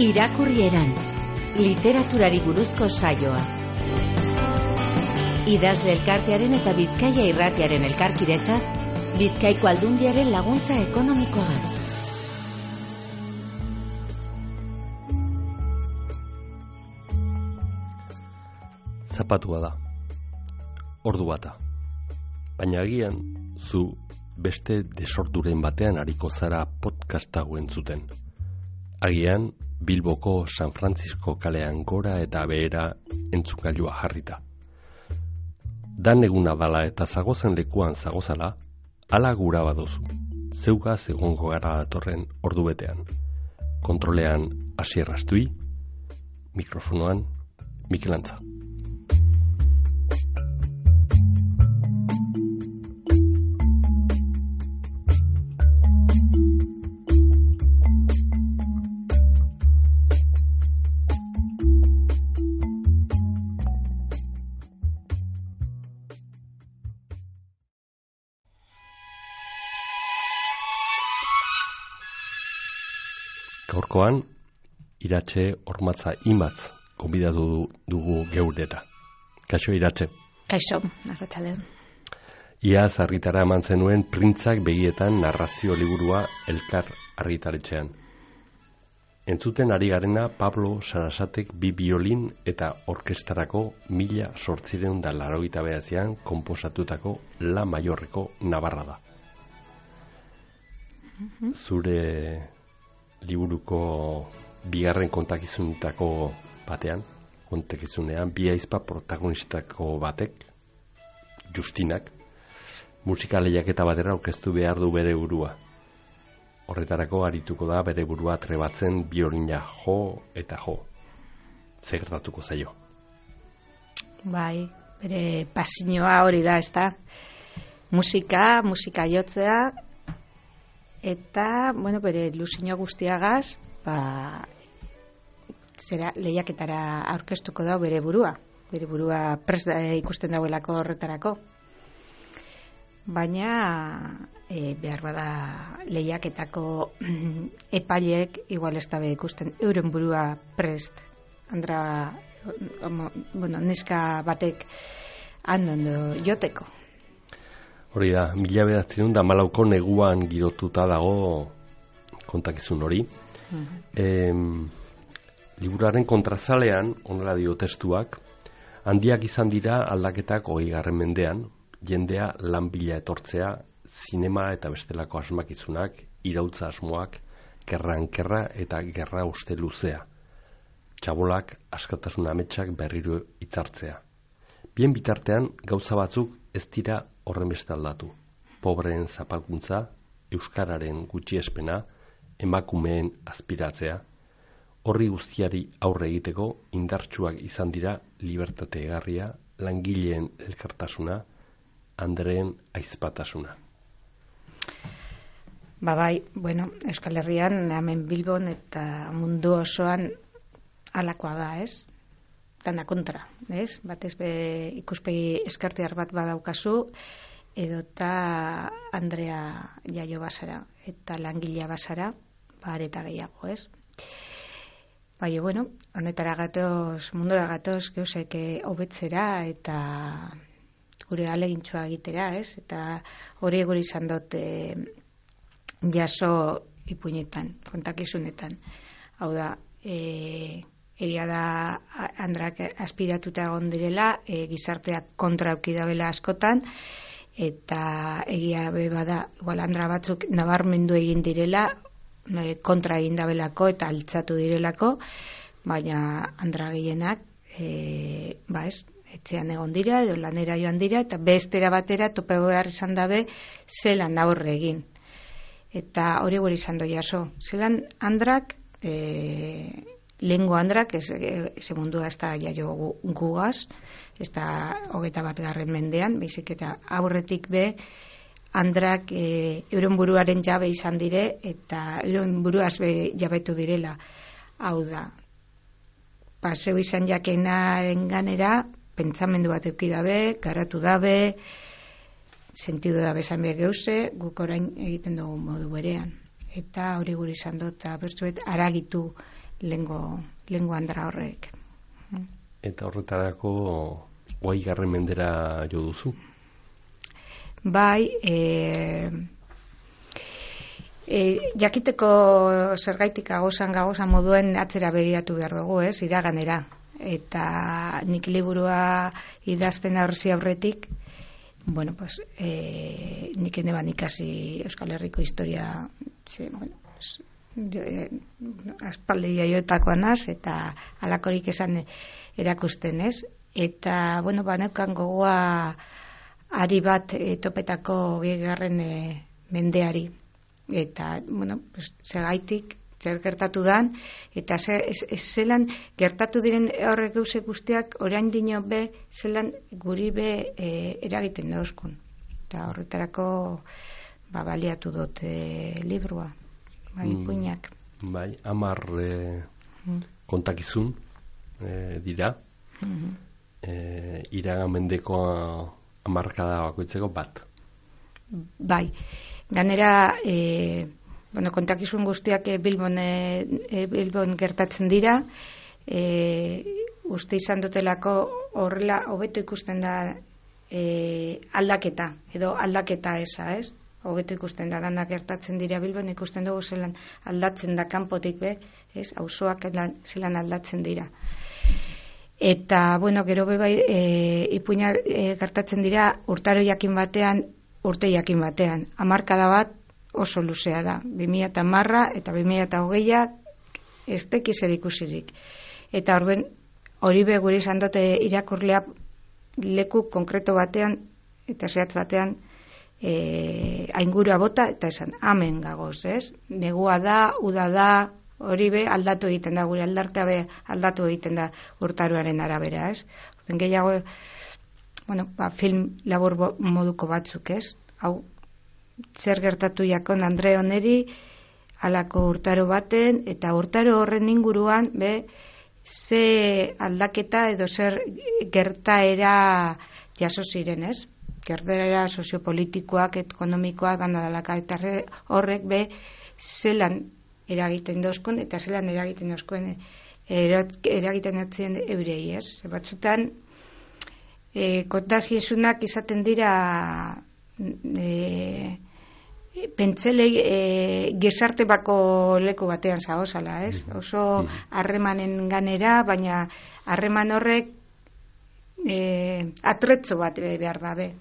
Irakurrieran, literaturari buruzko saioa. Idazle elkartearen eta Bizkaia Irratiaren elkarkidetzaz, Bizkaiko Aldundiaren laguntza ekonomikoaz. Zapatua da, ordu bata. Baina agian, zu beste desorduren batean ariko zara podcast hau entzuten. Agian, Bilboko San Francisco kalean gora eta behera entzungailua jarrita. Dan eguna dala eta zagozen lekuan zagozala, ala gura badozu. Zeugaz egongo gara datorren ordu betean. Kontrolean Asier Astui, mikrofonoan Mikel Antza. Gaurkoan, Iratxe Ormatza Imatz gonbidatu dugu geureta. Kaixo, Iratxe. Kaixo, arratsaldeon. Iaz argitara eman zenuen Printzak begietan narrazio liburua Elkar argitaletxean. Entzuten ari garena Pablo Sarasatek bi biolin eta orkestarako 1889an konposatutako La Maiorreko Navarra da. Zure liburuko bigarren kontakizunetako batean, kontakizunean, bi aizpa protagonistako batek, Justinak, musika lehiaketa batera aurkeztu behar du bere burua. Horretarako arituko da bere burua trebatzen biolina jo eta jo. Zer gertatuko zaio? Bai, bere pasioa hori da, ezta? Musika jotzea, eta, bere ilusio guztiagaz, zera lehiaketara aurkeztuko da bere burua prest ikusten dauelako horretarako. Baina, behar bada lehiaketako epaileek igual ez dabe ikusten euren burua prest, neska batek handondo joteko. Hori da, 1914ko neguan girotuta dago kontakizun hori. Liburuaren kontrazalean, honela dio testuak, handiak izan dira aldaketak 20. mendean, jendea lan bila etortzea, zinema eta bestelako asmakizunak, iraultza asmoak, kerran-kerra eta gerra uste luzea. Txabolak askatasun ametsak berriro hitzartzea. Bien bitartean, gauza batzuk ez dira horren beste aldatu. Pobreen zapalkuntza, euskararen gutxiespena, emakumeen aspiratzea, horri guztiari aurre egiteko indartsuak izan dira libertate egarria, langileen elkartasuna, Andreen aizpatasuna. Bai, Euskal Herrian, hemen Bilbon eta mundu osoan halakoa da, ez? Dana kontra, ez? Batez be ikuspegi eskartiar bat badaukazu, edota Andrea jaio bazara, eta langilea bazara, areta gehiago, ez? Bai, honetara gatoz, mundura gatoz, geuzek hobetzera eta gure alegintxoa egitera, ez? Eta hori guri izan dut jaso ipuinetan, kontakizunetan. Hau da, egia da Andrak aspiratuta egon direla, gizarteak kontra eukidabela askotan, eta egia bada, igual Andra batzuk nabarmendu egin direla, kontra egin dabelako eta altzatu direlako, baina Andra gehienak, etxean egon dira, edo lanera joan dira, eta bestera batera tope behar izan dabe zelan aurre egin. Eta hori gure izan doi jaso. Zelan Andrak, lehengo Andrak, ez mundua ez da jaio gugaz, ez da 21. mendean, baizik eta aurretik be, Andrak euren buruaren jabe izan dire, eta euren buruaz be jabetu direla. Hau da, paseu izan jakenaren ganera, pentsamendu bat euki dabe, garatu dabe, sentidu dabe esan behar geuze, guk orain egiten dugu modu berean. Eta hori gure izan dut, eta bertzuet, aragitu lengo andra horrek. Eta horretarako 20. mendera jo duzu? Bai, jakiteko zergaitik gauza moduen atzera begiratu behar dugu, iraganera. Eta nik liburua idazten aurretik, bueno, pues, nik eneban ikasi Euskal Herriko historia, aspaldi jaiotakoa naz, eta alakorik esan erakusten, Eta, bueno, baneukan gogoa ari bat topetako 20. Mendeari. Eta, bueno, pues, segaitik, zer gertatu dan, eta zelan gertatu diren horrek gauze guztiak orain dino be, zelan guri be eragiten dauzkun. Eta horretarako baliatu dut librua, ipuinak. Bai, 10 kontakizun dira, iragan mendeko hamarkada bakoitzeko bat. Bai, ganera kontakizun guztiak Bilbon gertatzen dira, uste izan dutelako horrela hobeto ikusten da aldaketa, edo aldaketa esa, hobeto ikusten da, danak gertatzen dira Bilbon, ikusten dugu zelan aldatzen da kanpotik be, auzoak zelan aldatzen dira. Eta, bueno, gero bebai ipuina gertatzen dira urtaro jakin batean, urte jakin batean. Hamarkada bat oso luzea da. 2010 eta 2020 ez tekiz erikusirik. Eta orduen hori be guri izan dute irakurlea leku konkreto batean eta zehatz batean aingurua bota eta esan, amen gagoz, negua da, uda da, hori be aldatu egiten da, gure aldartea be aldatu egiten da urtaroaren arabera, Orten gehiago, film labur moduko batzuk, Hau, zer gertatu jakon Andre oneri, halako urtaro baten, eta urtaro horren inguruan, ze aldaketa edo zer gertaera jaso ziren, Gertaera soziopolitikoak, ekonomikoak, gandadalaka, eta horrek zelan eragiten dozkun, eta zelan eragiten dozkuen eragiten atzien eurei, Batzutan, kontagiesunak izaten dira pentselei gesarte bako leku batean zagozala, Oso harremanen ganera, baina harreman horrek atretzo bat behar dabe.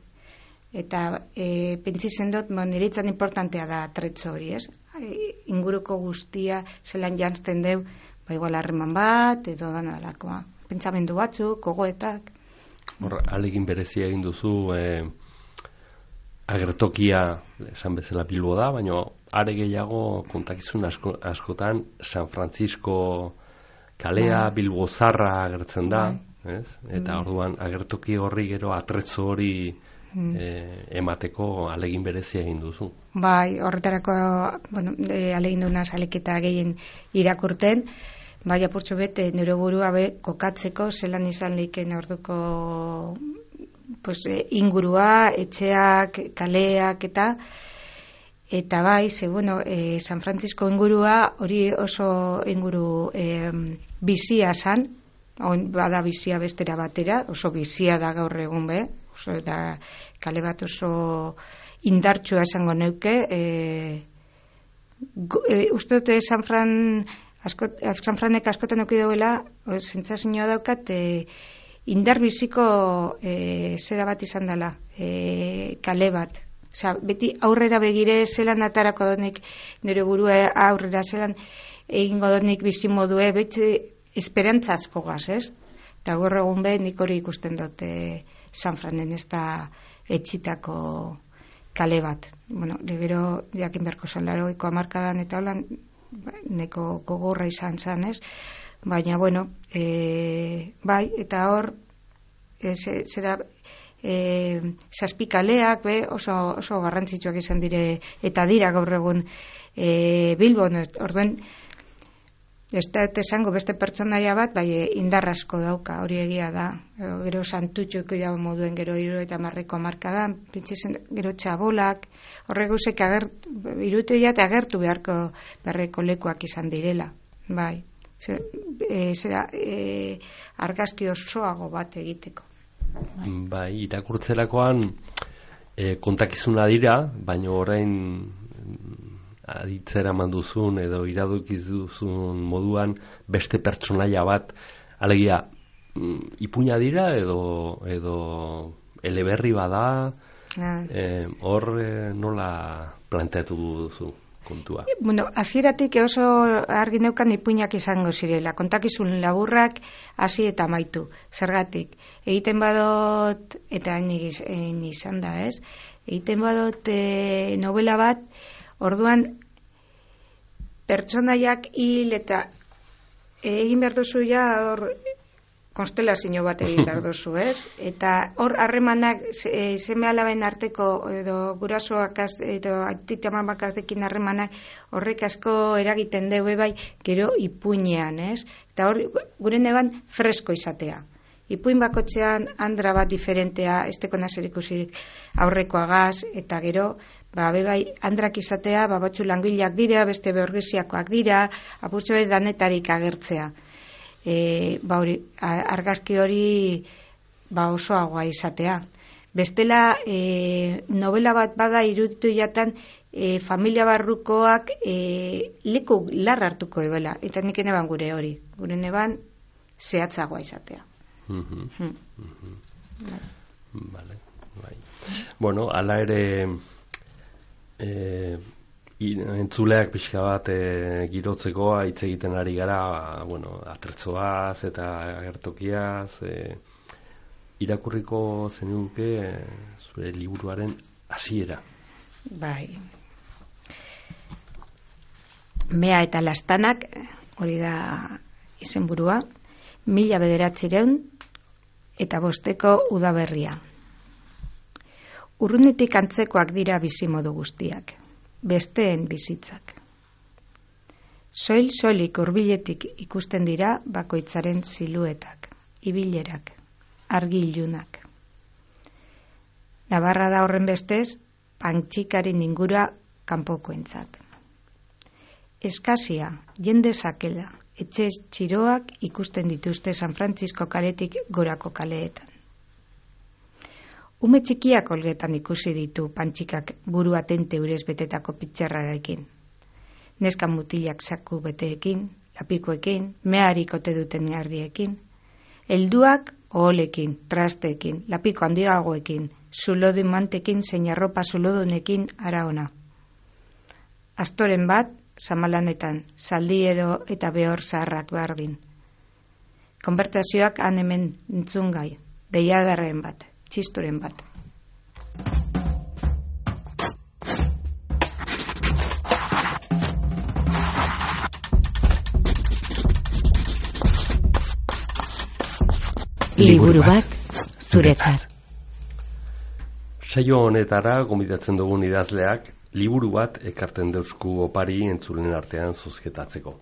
Eta pentsi dut, niretzan importantea da atretzo hori, Inguruko guztia zelan jantzten deu, igual harreman bat, edo danalakoa. Pentsamendu batzuk, gogoetak. Alegin berezia egin duzu, agertokia esan bezala Bilbo da, baina are gehiago kontakizun askotan San Francisco kalea, Bilbo zarra agertzen da, eta orduan agertoki horri gero atretzo hori emateko alegin berezia egin duzu. Bai, horretarako alegin duna saleketa gehien irakurten, bai apurtxo bete nire burua kokatzeko zelan izan leiken orduko ingurua, etxeak, kaleak eta bai, San Francisco ingurua hori oso inguru bizia zan, bada bizia bestera batera, oso bizia da gaur egun oso da kale bat oso indartsua esango neuke, uste dute San Franek askotan euki dauela, zentzazioa daukat, indar biziko zera bat izan dela, kale bat. Beti aurrera begire zelan atarako donik nire burua aurrera zelan egingo donik bizimodue, beti esperantzazko gaz, Eta gaur egun nik hori ikusten dute San Franen ez da etxitako kale bat. Gero jakin beharko zen 80ko hamarkadan eta holan neko gogorra izan zen, Baina, bai, eta hor zera zazpikaleak oso garrantzitsuak izan dire eta dira gaur egun Bilbon, orduen ez da esango beste pertsonaia bat, bai indar asko dauka, hori egia da. Gero santutxoiko dago moduen gero 70ko hamarkadan, pentsatzen gero txabolak, horrek guzek irutu agertu beharko lekuak izan direla, bai. argazki osoago bat egiteko. Bai, irakurtzerakoan kontakizuna dira, baina orain aditzera manduzun edo iradokiz duzun moduan beste pertsonaia bat, alegia ipuina dira edo eleberri bada, hor nola planteatu duzu kontua? Bueno, hasieratik oso argi neukan ipuinak izango zirela, kontakizun laburrak hasi eta amaitu. Zergatik, egiten badot, eta hain izan da, ez? Egiten badot novela bat, orduan pertsonaiak hil eta egin behar duzu ja hor konstelazio bat egin behar duzu, ez? Eta hor harremanak seme alaben arteko edo gurasoak edo aitita-amak dekin harremanak horrek asko eragiten deu bai gero ipuinean, ez? Eta hor gure neban fresko izatea. Ipuin bakotxean andra bat diferentea, ez tekona zer ikusirik aurrekoagaz, eta gero bai andrak izatea, batzu langileak dira, beste beorgesiakoak dira, apurtxo danetarik agertzea. Argazki hori osoagoa izatea. Bestela novela bat bada iruditu jatan familia barrukoak leku larra hartuko ebela, eta nik neban gure hori, gure neban zehatzagoa izatea. Vale, bai. Bueno, ala ere entzuleak pixka bat girotzeko hitz egiten ari gara, bueno, atertzoaz eta agertokiaz, irakurriko zenuke zure liburuaren hasiera. Bai. Mea eta lastanak, hori da izenburua, 1905 udaberria. Urrunetik antzekoak dira bizimodu guztiak, besteen bizitzak. Soil-soilik hurbiletik ikusten dira bakoitzaren siluetak, ibilerak, argi ilunak. Nabarra da horren bestez, pantxikaren ingura kanpokoentzat. Eskasia, jende sakela, etxe txiroak ikusten dituzte San Francisco kaletik gorako kaleetan. Ume txikiak olgetan ikusi ditu pantxikak buru atente urez betetako pitxerrarekin. Neska mutilak saku beteekin, lapikoekin, meharik ote duten harriekin. Helduak oholekin, trasteekin, lapiko handiagoekin, zulodu mantekin, zein arropa zulodunekin ara ona. Astoren bat, samalanetan, zaldi edo eta behor zaharrak bardin. Konbertsazioak han hemen entzungai, deiadarren bat, txisturen bat. Liburu bat zuretzat. Saio honetara gonbidatzen dugun idazleak liburu bat ekarten deusku opari entzulen artean zozketatzeko.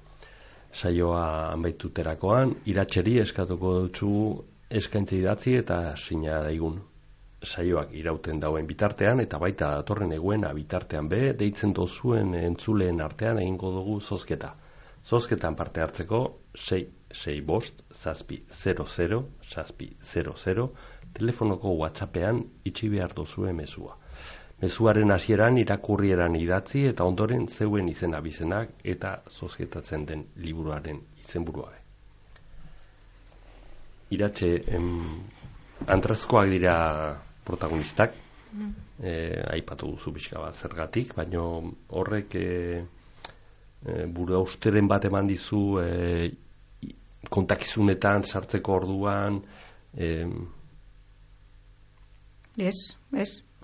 Saioa amaituterakoan iratxeri eskatuko dutzu eskaintza idatzi eta sina daigun. Saioak irauten dauen bitartean eta baita datorren eguena bitartean be deitzen dozuen entzuleen artean egingo dugu zozketa. Zozketan parte hartzeko 665-700-700 telefonoko WhatsAppean itxi behar dozue mezua. Mezuaren hasieran irakurrieran idatzi eta ondoren zeuen izena bizenak eta zozketatzen den liburuaren izenburua. Iratxe, antrazkoak dira protagonistak, aipatu duzu pixka bat zergatik, baina horrek buru austeren bat eman dizu kontakizunetan sartzeko orduan. Ez,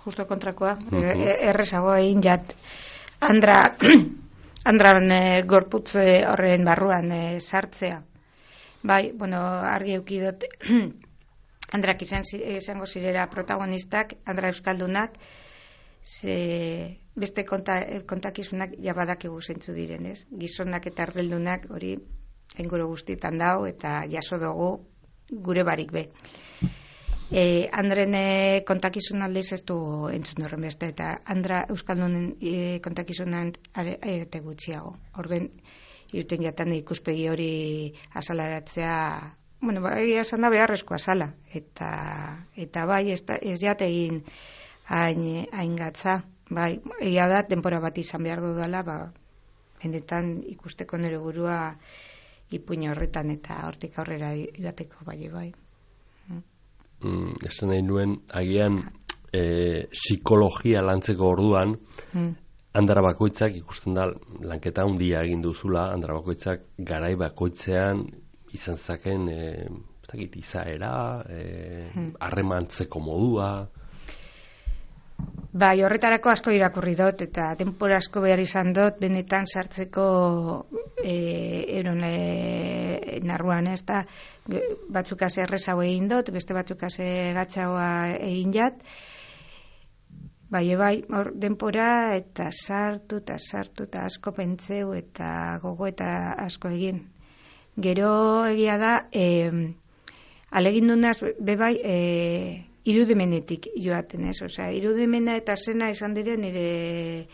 justo kontrakoa. Errezago egin jat andran gorputz horren barruan sartzea. Bai, bueno, argi eukidot andrak izango zirela protagonistak, andra euskaldunak, beste kontakizunak jabadakigu zentzu direnez. Gizonak eta ardeldunak hori enguro guztietan dau eta jaso dugu gure barik be. Andren kontakizun aldiz ez du entzun horren beste, eta andra euskaldunen kontakizunan ete gutxiago. Orden, irten jatan ikuspegi hori azalaratzea, bueno, egia esan da beharrezkoa zala, eta bai, ez jategin hain gatza, bai, egia da, denbora bat izan behar dudala, benetan ikusteko nire burua ipuin horretan eta hortik aurrera joateko bai. Esan nahi nuen, agian psikologia lantzeko orduan, Andra bakoitzak ikusten da lanketa handia egin duzula, Andra bakoitzak garai bakoitzean izan zaken izaera, harremantzeko modua. Bai, horretarako asko irakurri dut eta denbora asko behar izan dut benetan sartzeko narruan, ez da, batzuk ase errezago egin dut, beste batzuk ase gatzagoa egin jat. Bai, denbora eta sartu eta asko pentseu eta gogo eta asko egin. Gero egia da, alegin dunaz, bebai, irudimenetik joaten ez, irudimena eta zena izan dire nire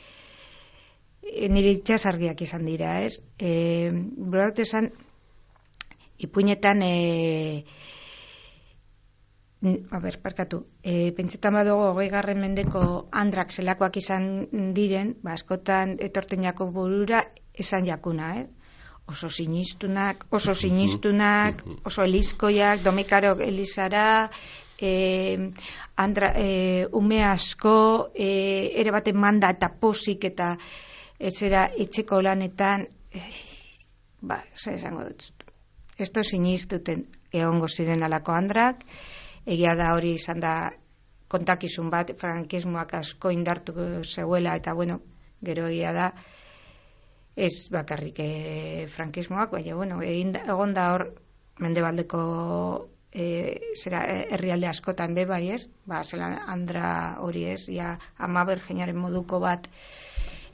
itxasargiak izan dira, ez? Buraut esan, ipuinetan, pentsetan badugu 20. mendeko andrak zelakoak izan diren, askotan etortenako burura esan jakuna, oso sinistunak, oso elizkoiak, domikaro elizara, ume asko, ere baten manda eta posik eta etzera etxeko lanetan, esango dut. Esto sinistuten egongo ziren alako andrak, egia da hori izan da kontakizun bat, frankismoak asko indartu zeuela, eta bueno, gero egia da, ez bakarrik frankismoak, baina egon da hor mendebaldeko herrialde askotan bai ez, zela andra hori ez, ama bergenaren moduko bat,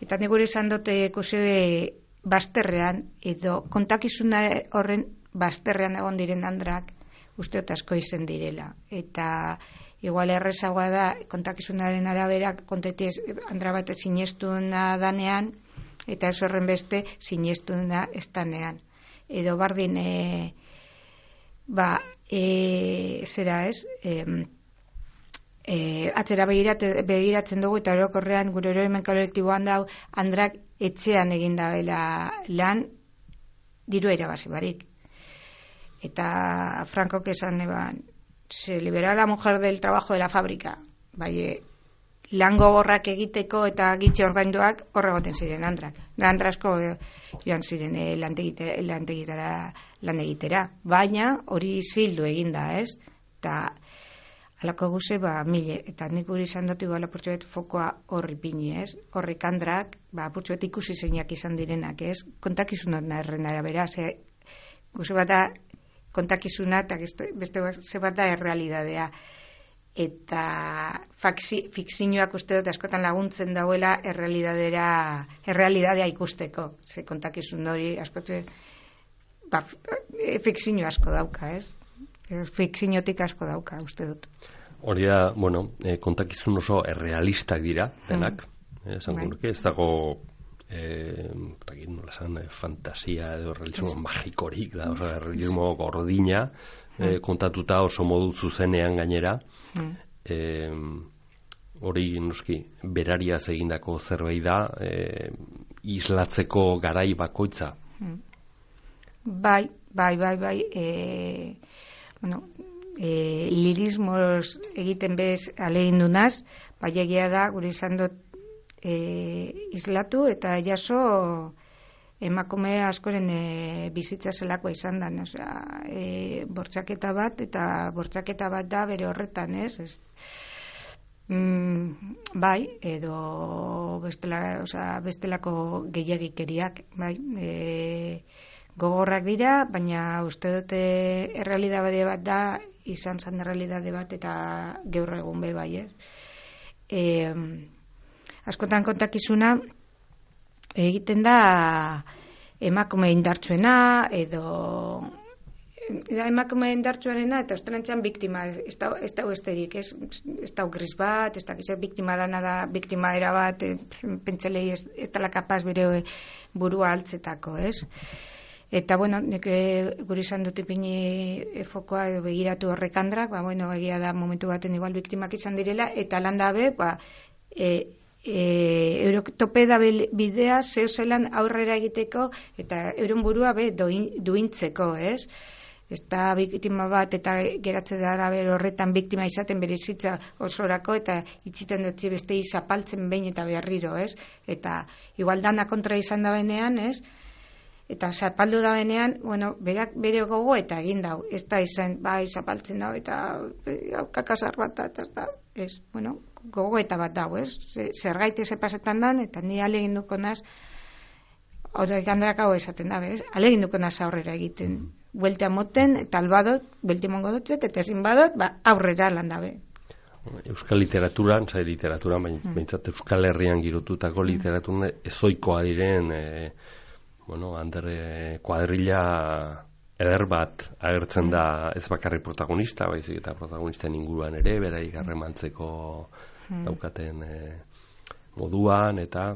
eta negure izan dute ikusi bazterrean, edo kontakizuna horren bazterrean egon diren andrak, usteot asko izen direla, eta igual errezagoa da kontakizunaren arabera kontetiz andra bat sinestuna danean, eta ez horren beste sinestuna estanean, edo bardin zera ez, atzera begiratzen dugu eta orokorrean gure oroimen kolektiboan dau andrak etxean egin dabela lan diru irabazi barik. Eta Frankok esan se libera la mujer del trabajo de la fábrica, lan gogorrak egiteko eta gitxe ordainduak horregoten ziren andrak. Andrasko joan ziren lantegitara lan egitera, baina hori zildu eginda, ez? Eta alako guze, mile, eta nik guri izan dut igual apurtxoet fokoa horri pini, ez? Horrik andrak, apurtxoet ikusi zeinak izan direnak, ez? Kontakizunat naherren arabera, guze bat da kontakizunat, eta beste ze bat da errealidadea. Eta fikzioak uste dut askotan laguntzen dauela errealidadea ikusteko. Ze kontakizun hori askotan fikzio asko dauka, ez? Fikziotik asko dauka, uste dut. Hori da, kontakizun oso errealistak dira, denak. Ez dago fantasia edo realismo magikorik da, realismo gordina, kontatuta oso modu zuzenean gainera, hori noski berariaz egindako zerbait da, islatzeko garai bakoitza. Bai, lirismoz egiten bez alegin dunaz, bai egia da, gure izan dut islatu eta jaso emakume askoren bizitza zelakoa izan da, bortxaketa bat, eta bortxaketa bat da bere horretan, ez? Bai, edo bestelako gehiagikeriak, bai, gogorrak dira, baina uste dute errealidade bat da, izan zan errealidade bat, eta gaur egun be bai, askotan kontakizuna egiten da emakume indartsuena edo emakume indartsuarena eta ostenantzean biktima, ez da besterik, ez da gris bat, ez da biktima dana da, biktima era bat, pentsalei ez dela kapaz bere burua altzetako, ez? Eta, bueno, nik guri izan dut ipini fokoa edo begiratu horrekandrak, egia da momentu baten igual biktimak izan direla, eta lan dabe, eurotope da bidea zeu zelan aurrera egiteko eta euren burua duintzeko, ez? Ez da biktima bat eta geratze dara horretan biktima izaten bere bizitza osorako eta itxiten dutzi beste zapaltzen behin eta berriro, ez? Eta igual dana kontra izan da benean, ez? Eta zapaldu da benean, berak bere gogo eta egin dau. Ez da izan, zapaltzen dau eta kakasar bat eta ez, gogo eta bat dau, ez? Zergaite ze pasetan dan, eta ni alegin duko naz, horrekandrak hau esaten da, ez? Alegin duko naz aurrera egiten. Bueltea moten, eta albadot, buelti mongo dut, eta ezin badot, aurrera lan dabe. Euskal literaturan, baintzat Euskal Herrian girotutako literaturan ezoikoa diren, kuadrilla eder bat agertzen da ez bakarrik protagonista, baizik eta protagonisten inguruan ere, beraik harremantzeko daukaten moduan, eta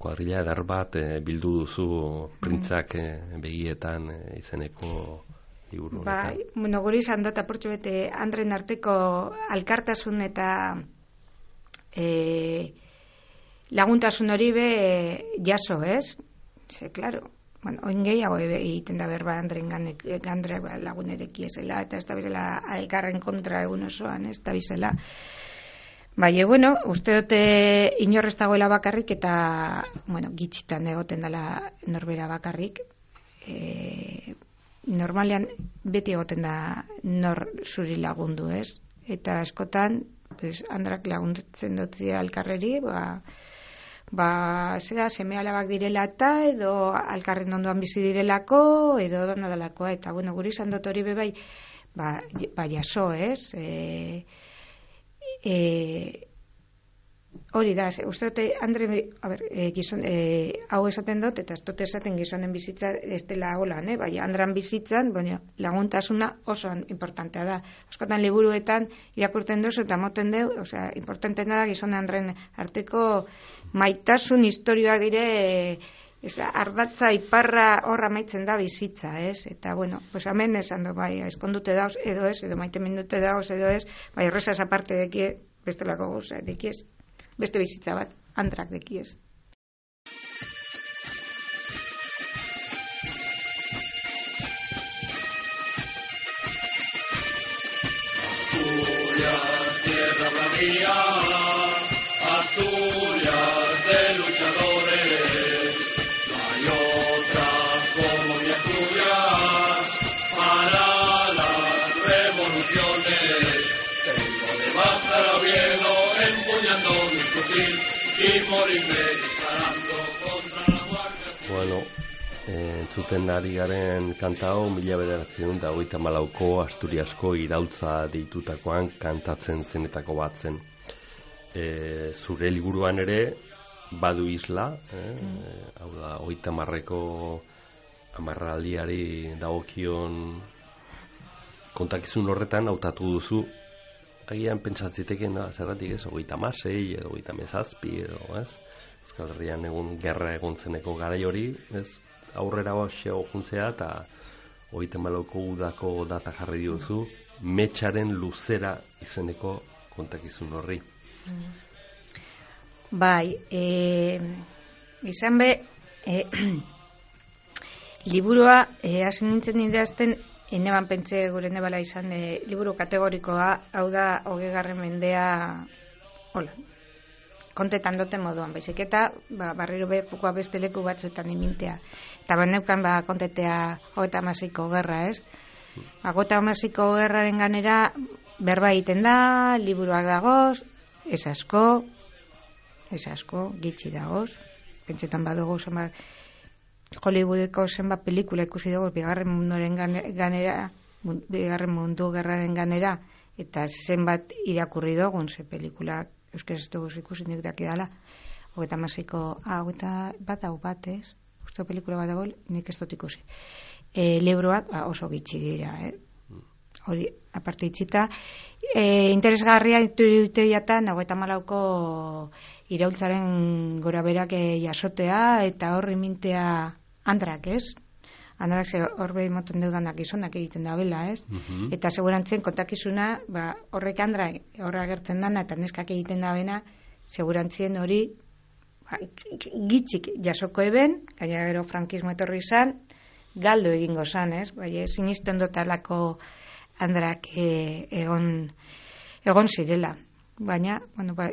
kuadrilla eder bat bildu duzu printzak begietan izeneko liburu honetan. Guri izan dut apurtxo bete Andren arteko alkartasun eta laguntasun hori jaso, ez? Claro, oin gehiago egiten da berba Andren gandre lagunedeki ezela, eta ez da bizela elkarren kontra egun osoan, ez da bizela. Uste dute inorrez dagoela bakarrik eta, gitxitan egoten dela norbera bakarrik. Normalean beti egoten da nor zuri lagundu, ez? Eta askotan, Andrak laguntzen dutzi alkarreri, zera seme alabak direla eta edo alkarren ondoan bizi direlako edo dona delakoa, eta guri izan dut hori bebai jaso, ez? Hori da, uste dute Andre, gizon, hau esaten dut, eta ez dute esaten gizonen bizitza ez dela holan, Andran bizitzan, laguntasuna oso importantea da. Askotan liburuetan irakurten duzu eta moten deu, importantea da gizone Andren arteko maitasun historioa dire, ardatza iparra horra maitzen da bizitza, ez? Eta, hemen esan du, eskondute dauz edo ez, edo maite mindute dauz edo ez, horrezaz aparte dekie, bestelako gauza, dekiez. Beste bizitza bat, Andrak dekiez. Asturias, tierra bravía, Asturias de luchadores, no hay otra como mi Asturias para las revoluciones. Tengo de Bázaro a Oviedo empuñando mi fusil y morirme disparando contra la Guardia Civil. Entzuten ari garen kanta hau 1934ko Asturiasko iraultza deitutakoan kantatzen zenetako bat zen. Zure liburuan ere badu isla, hau da 30ko amarraldiari dagokion kontakizun horretan hautatu duzu. Agian pentsatziteken zerratik ez, 36 edo 37 edo, ez? Euskal Herrian gerra egon zeneko garai hori, ez? Aurrera xeo juntzea eta 34ko udako data jarri diozu, Metxaren luzera izeneko kontakizun horri. Izan be, liburua hasi nintzen idazten, eneban pentsa gure nebala izan liburu kategorikoa, hau da 20. mendea kontetan duten moduan, baizik eta barriro fokoa beste leku batzuetan imintea. Eta neukan kontetea 36ko gerra, ez? 36ko gerraren ganera berba egiten da, liburuak dagoz, ez asko, gitxi dagoz, pentsetan badugu zenbat Hollywoodeko zenbat pelikula ikusi dugu bigarren mundu gerraren ganera, eta zenbat irakurri dugun ze pelikula euskaraz dugu ikusi nik dakidala 36ko bat, ez? Uste pelikula bat dago, nik ez dut ikusi. libroak oso gitxi dira, hori aparte itxita. Interesgarria dute jatan 94ko iraultzaren gora berak jasotea eta horri mintea andrak, ez? Andrak hor behin moten deudanak gizonak egiten da bela, ez? Eta segurantzen kontakizuna, horrek andrak horra agertzen dana eta neskak egiten da bena, segurantzien hori gitxik jasoko eben, gainera gero frankismo etorri izan, galdu egingo zan, ez? Bai, sinisten dotalako andrak egon zirela. Baina,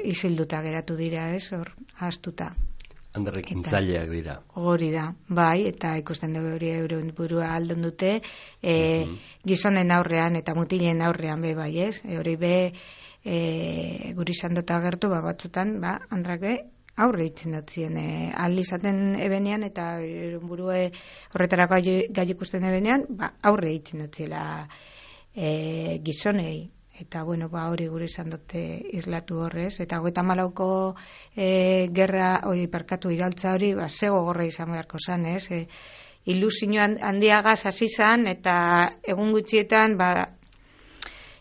isilduta geratu dira, ez? Hor, ahaztuta. Andrek intzaileak dira. Hori da, bai, eta ikusten dugu hori euren burua aldun dute, gizonen aurrean eta mutilen aurrean be, bai, ez? Hori be, guri izan dut agertu, batzutan, andrak be, aurre itzen dutzien, aldi izaten ebenean, eta burue horretarako gai ikusten ebenean, aurre itzen dutziela gizonei. Eta, hori gure izan dute islatu horrez. Eta 94ko gerra, iraultza hori, zego gorra izan beharko zan, ez? Ilusio handiagaz hasi zan, eta egun gutxietan,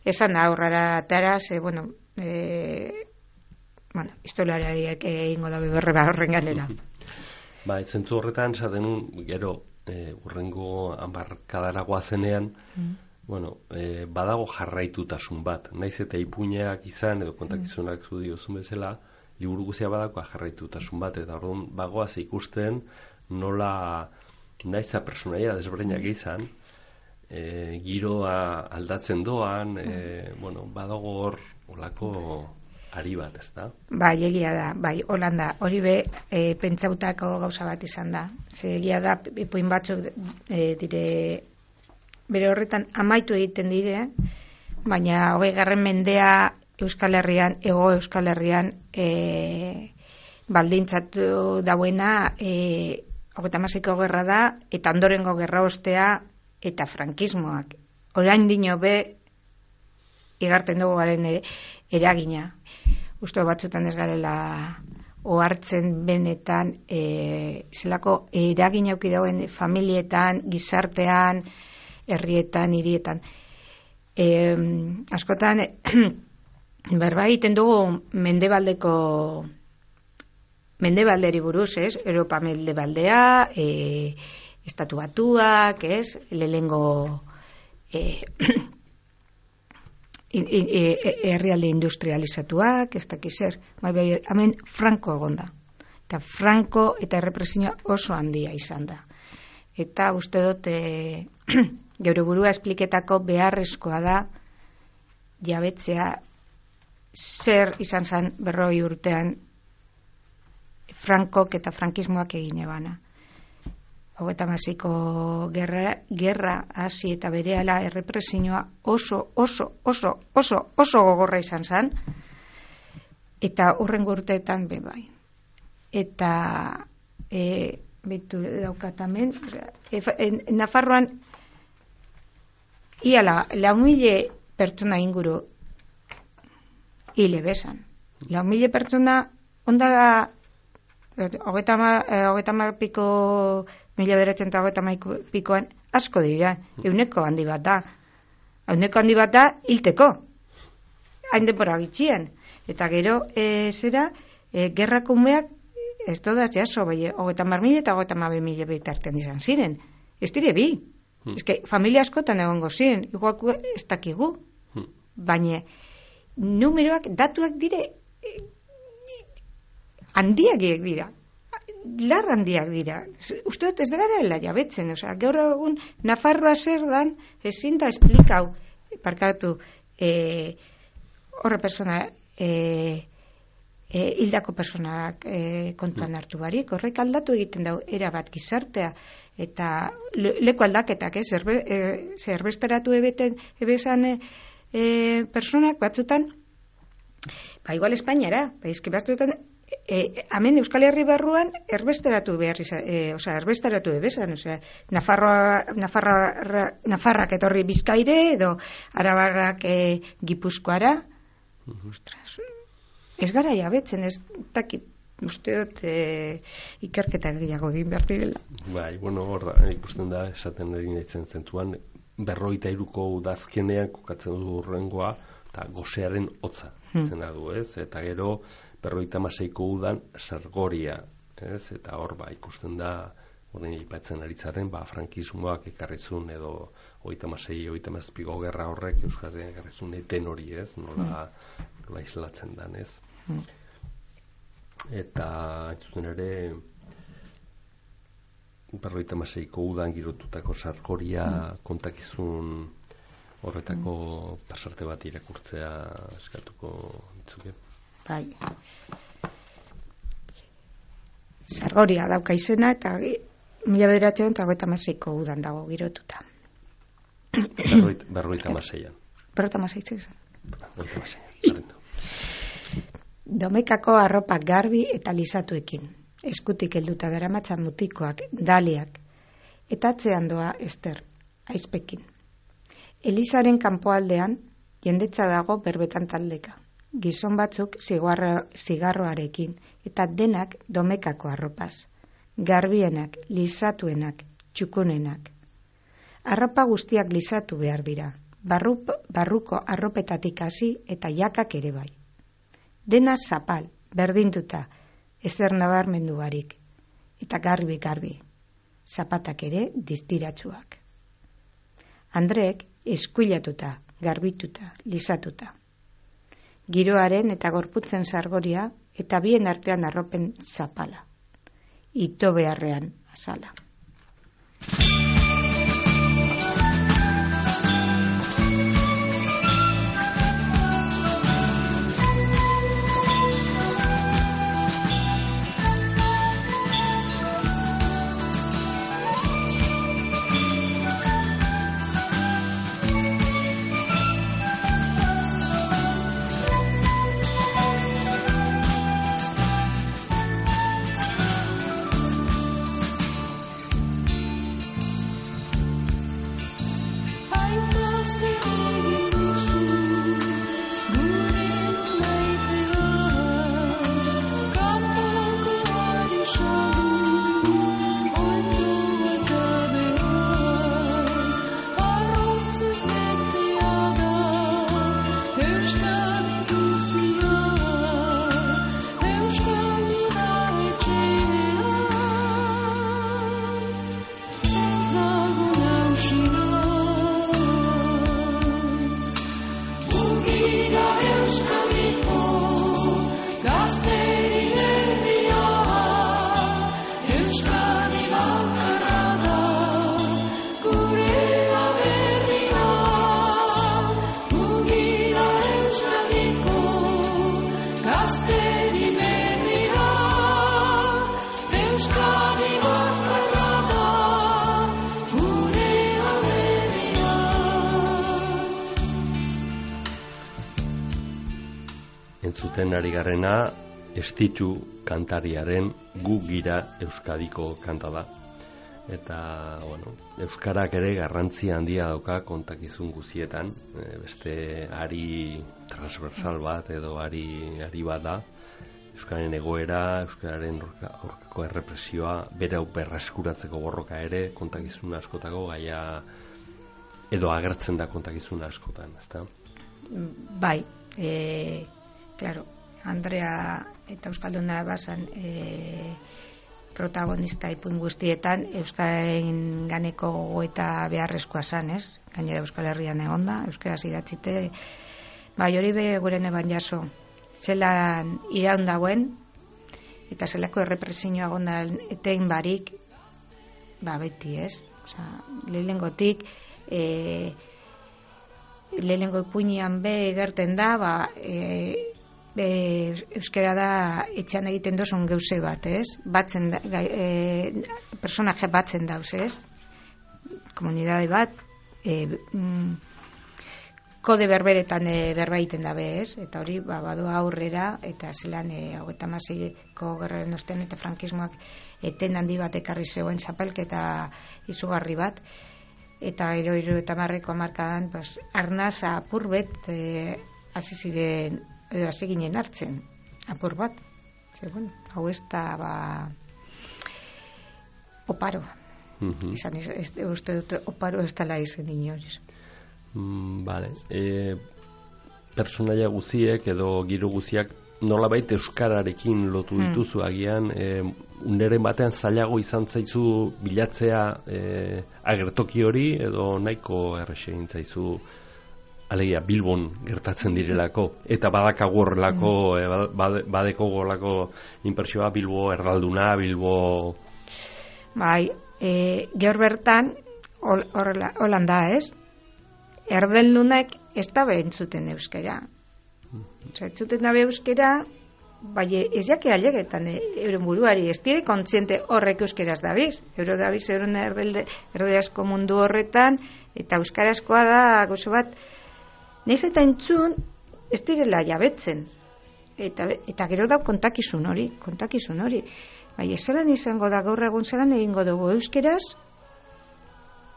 esan da aurrara taraz, historialariak egingo da beberre horren ganera. Zentzu horretan, esaten gero, urrengo hamarkadaragoa zenean, badago jarraitutasun bat, naiz eta ipuinak izan edo kontakizunak zu diozun bezala, liburu guztia badako jarraitutasun bat, eta orduan bagoaz ikusten nola naiza personaia desberdinak izan, giroa aldatzen doan, badago hor olako ari bat, ez da? Bai, egia da, Holanda, hori be, pentsautako gauza bat izan da. Egia da, ipuin batzuk dire bere horretan amaitu egiten dire, baina 20. mendea Euskal Herrian, Hego Euskal Herrian baldintzatu dauena 36ko gerra da, eta ondorengo gerra ostea eta frankismoak. Orain dino be igarten dugu garen eragina. Uste batzutan ez garela ohartzen benetan zelako eragina auki dauen familietan, gizartean, herrietan, hirietan. Askotan berba egiten dugu mendebalderi buruz, ez? Europa mendebaldea, Estatu Batuak, ez? Lehengo herrialde industrializatuak, ez dakiz zer. Hemen Franco egonda. Eta Franco eta errepresioa oso handia izan da. Eta uste dut geure burua espliketako beharrezkoa da jabetzea zer izan zen 40 urtean Frankok eta frankismoak egin ebana. 36ko gerra hasi eta berehala errepresioa oso gogorra izan zen, eta hurrengo urteetan bai. Eta betu daukatamen Nafarroan ia 4.000 pertsona inguru hile besan. 4.000 pertsona onda 30 piko 1930 pikoan asko dira, euneko handi bat da hilteko hain denbora gitxien, eta gero gerrako umeak ez dodaz jaso, 30.000 eta 32.000 bitartean izan ziren, ez dire bi. Eske, familia askotan egongo ziren, igual ez dakigu. Baina, numeroak, datuak dire, handiak dira. Lar handiak dira. Uste dut ez begara jabetzen, gaur egun Nafarroa zer dan, ezin da esplikau, parkatu, horre persona, hildako personak kontuan hartu barik, horrek aldatu egiten dau erabat gizartea, eta leku aldaketak, zerbesteratu ebezan personak batzutan, igual Espainiara, batzutan, hemen Euskal Herri barruan erbesteratu ebezan, Nafarrak etorri Bizkaire, edo Arabarrak Gipuzkoara, ostras, ez gara jabetzen, ez dakit uste dut ikerketa gehiago egin behar direla. Bai, bueno, hor ikusten da, esaten egin ditzen zentuan, 53ko udazkenean kokatzen du urrengoa, eta gosearen hotza zena du, ez? Eta gero 56ko udan sargoria, ez? Eta hor ikusten da, horren aipatzen aritzaren, frankismoak ekarrizun edo 36-37ko gerra horrek Euskadian ekarrizun eten hori, ez? Nola islatzen dan, ez? Eta entzuten ere 56ko udan girotutako sargoria kontakizun horretako pasarte bat irakurtzea eskatuko ditzuke. Bai. Sargoria dauka izena eta 1956ko udan dago girotuta. 56an. 56. Domekako arropak garbi eta lisatuekin, eskutik helduta daramatzan mutikoak, daliak, eta atzean doa Ester, aizpekin. Elizaren kanpoaldean, jendetza dago berbetan taldeka. Gizon batzuk zigarroarekin, eta denak domekako arropaz. Garbienak, lisatuenak, txukunenak. Arropa guztiak lisatu behar dira. Barruko arropetatik hasi eta jakak ere bai. Dena zapal, berdinduta, ezer nabarmendu barik. Eta garbi. Zapatak ere distiratsuak. Andreek eskuilatuta, garbituta, lisatuta. Giroaren eta gorputzen sargoria eta bien artean arropen zapala. Ito beharrean azala. Entzuten ari garena, Estitxu kantariaren Gu gira Euskadiko kanta da. Eta, bueno, euskarak ere garrantzia handia dauka kontakizun guzietan, beste ari transversal bat edo ari bat da. Euskararen egoera, euskararen aurkako errepresioa, bere berreskuratzeko borroka ere kontakizun askotako gaia edo agertzen da kontakizun askotan, ezta? Bai, claro, Andrea eta Euskalduna bazan protagonista ipuin guztietan euskararen ganeko gogoeta beharrezkoa zan, ez? Gainera Euskal Herrian egonda, euskaraz idatzite, bai hori guren eban jaso, zelan iraun dagoen eta zelako errepresioa gonda etein barik, beti, ez? Osea, lehenengotik lehenengo ipuinean gerten da, euskara da etxean egiten dozun geuse bat, ez? Batzen da, personaje batzen dauz, ez? Komunidade bat, kode berberetan berba egiten dabe, ez? Eta hori, badoa aurrera, eta zelan 36ko gerraren ostean eta frankismoak eten handi bat ekarri zegoen zapalketa izugarri bat, eta gero 70ko hamarkadan arnaz apurbet hasi ginen hartzen apur bat, bueno, hau ez da, oparo. Izan, uste dut, oparo ez dela izen inoriz. Vale. Personaia guziek edo giro guziak nolabait euskararekin lotu dituzu agian, uneren batean zailago izan zaizu bilatzea agertoki hori edo nahiko errese egin zaizu alegia Bilbon gertatzen direlako eta badakagu horrelako badeko golako inpresioa Bilbo erdalduna, Bilbo bai, gaur bertan holan da, ez? Erdeldunak ez da behentzuten euskara. Ez zuten dabe euskara, bai ez jake alegetan euren buruari, ez dire kontziente horrek euskeraz dabiz. Dabiz euren erderazko mundu horretan, eta euskarazkoa da, gozo bat, nahiz eta entzun, ez direla jabetzen. Eta gero da kontakizun hori. Bai, ez zelan izango da gaur egun zelan egingo dugu euskeraz,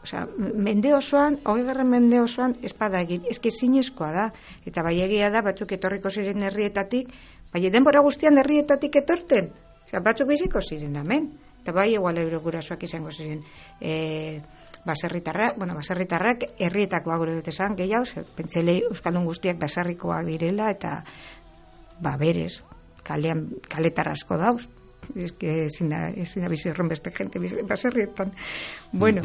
osea, mende osoan, 20. mende osoan espada egin, eske zinezkoa da, eta bai egia da, batzuk etorriko ziren herrietatik, bai denbora guztian herrietatik etorten, osea, batzuk biziko ziren hemen, eta bai igual eurogurasoak izango ziren baserritarrak herrietakoa gure dut esan, gehiago, pentselei euskaldun guztiak baserrikoak direla, eta berez, kaletar asko dauz, eske ezin da bizi horren beste gente baserrietan. Bueno,